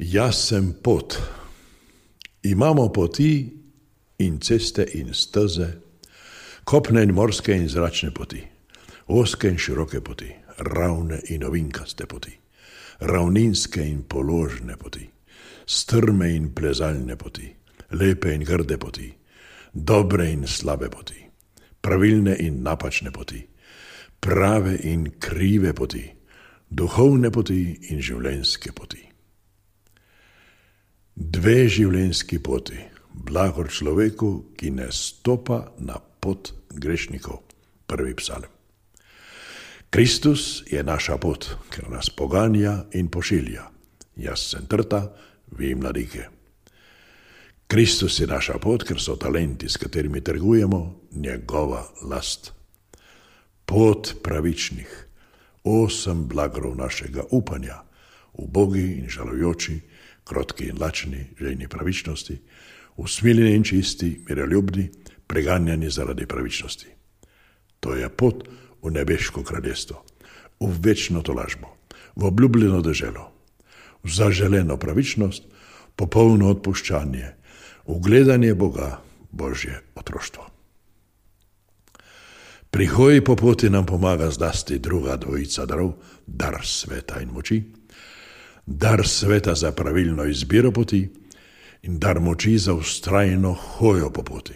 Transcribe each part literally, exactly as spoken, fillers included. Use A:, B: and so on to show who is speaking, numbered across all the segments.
A: Jaz sem pot. Imamo poti in ceste in steze, kopne in morske in zračne poti, ozke in široke poti, ravne in ovinkaste poti, ravninske in položne poti, strme in plezalne poti, lepe in grde poti, dobre in slabe poti, pravilne in napačne poti, prave in krive poti, duhovne poti in življenjske poti. Dve življenjski poti, blagor človeku, ki ne stopa na pot grešnikov. Prvi psalm. Kristus je naša pot, ker nas poganja in pošilja. Jaz sem trta, vi mladike. Kristus je naša pot, ker so talenti, s katerimi trgujemo, njegova last. Pot pravičnih, osem blagrov našega upanja, ubogi in žalujoči, krotki in lačni, žejni pravičnosti, usmiljeni in čisti, miroljubni, preganjani zaradi pravičnosti. To je pot v nebeško kraljestvo, v večno tolažbo, v obljubljeno deželo, v zaželeno pravičnost, popolno odpuščanje, v gledanje Boga, Božje otroštvo. Pri hoji po poti nam pomaga zlasti druga dvojica darov, dar sveta in moči, dar sveta za pravilno izbiro poti in dar moči za vztrajno hojo po poti.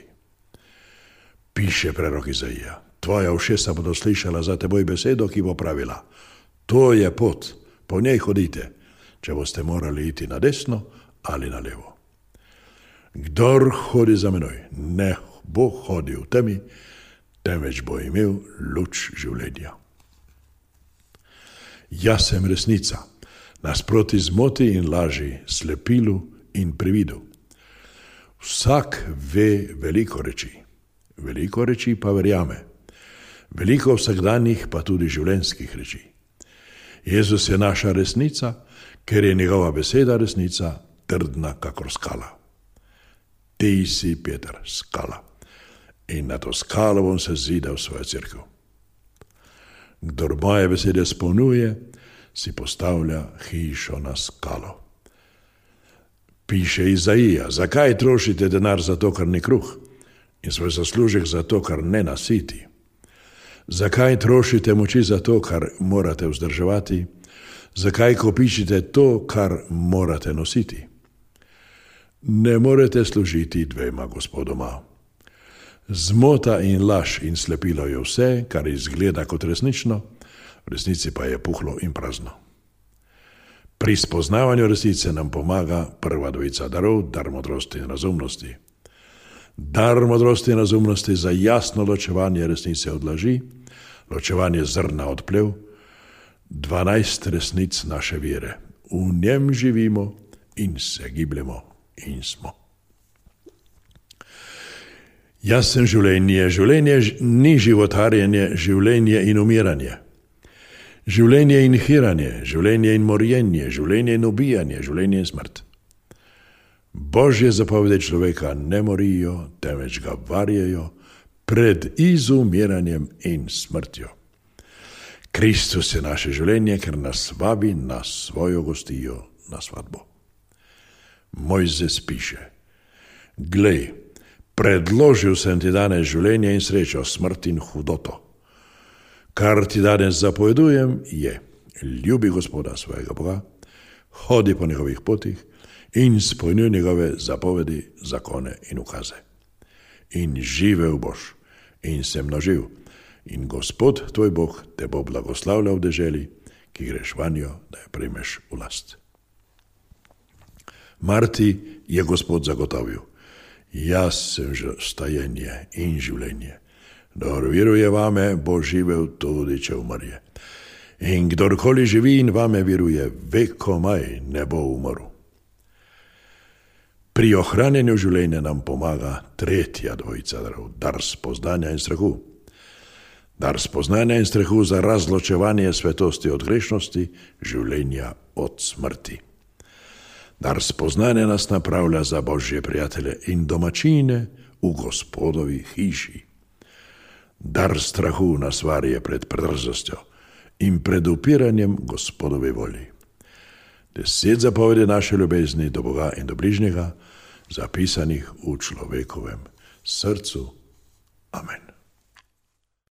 A: Piše prerok Izaija, tvoja ušesa bodo slišala za teboj besedo, ki bo pravila, to je pot, po njej hodite, če boste morali iti na desno ali na levo. Kdor hodi za menoj, ne bo hodil v temi, temveč bo imel luč življenja. Jaz sem resnica, nasproti zmoti in laži, slepilu in prividu. Vsak ve veliko reči, veliko reči pa verjame, veliko vsakdanjih pa tudi življenjskih reči. Jezus je naša resnica, ker je njegova beseda resnica, trdna kakor skala. Ti si, Peter, skala, in na to skalo bom se zidal svojo cerkev. Kdor moje besede spolnjuje, si postavlja hišo na skalo. Piše Izaija, zakaj trošite denar za to, kar ni kruh, in svoj zaslužek za to, kar ne nasiti? Zakaj trošite moči za to, kar morate vzdrževati? Zakaj kopičite to, kar morate nositi? Ne morete služiti dvema gospodoma. Zmota in laž in slepilo je vse, kar izgleda kot resnično, v resnici pa je puhlo in prazno. Pri spoznavanju resnice nam pomaga prva dvojica darov, dar modrosti in razumnosti. Dar modrosti in razumnosti za jasno ločevanje resnice od laži, ločevanje zrna od plev, dvanajst resnic naše vere. V njem živimo in se gibljemo in smo. Jaz sem življenje, življenje ni životarjenje, življenje in umiranje. Življenje in hiranje, življenje in morjenje, življenje in ubijanje, življenje in smrt. Božje zapovedi človeka ne morijo, temveč ga varjejo pred izumiranjem in smrtjo. Kristus je naše življenje, ker nas vabi na svojo gostijo, na svadbo. Mojzes piše, glej, predložil sem ti danes življenje in srečo, smrt in hudoto. Kar ti danes zapovedujem je, ljubi Gospoda svojega Boga, hodi po njegovih potih in izpolnjuj njegove zapovedi, zakone in ukaze. In živel boš in se množil in Gospod tvoj Bog te bo blagoslavljal v deželi, ki greš vanjo, da jo prejmeš v last. Marti je Gospod zagotovil, jaz sem stajenje in življenje. Kdor veruje vame, bo živel tudi, če umrje. In kdorkoli živi in vame veruje, vekomaj ne bo umrl. Pri ohranjanju življenja nam pomaga tretja dvojica darov, dar spoznanja in strahu. Dar spoznanja in strahu za razločevanje svetosti od grešnosti, življenja od smrti. Dar spoznanja nas napravlja za Božje prijatelje in domačine v Gospodovi hiši. Dar strahu nas varje pred predrzostjo in pred upiranjem Gospodovi volji. deset zapovedi naše ljubezni do Boga in do bližnjega, zapisanih v človekovem srcu. Amen.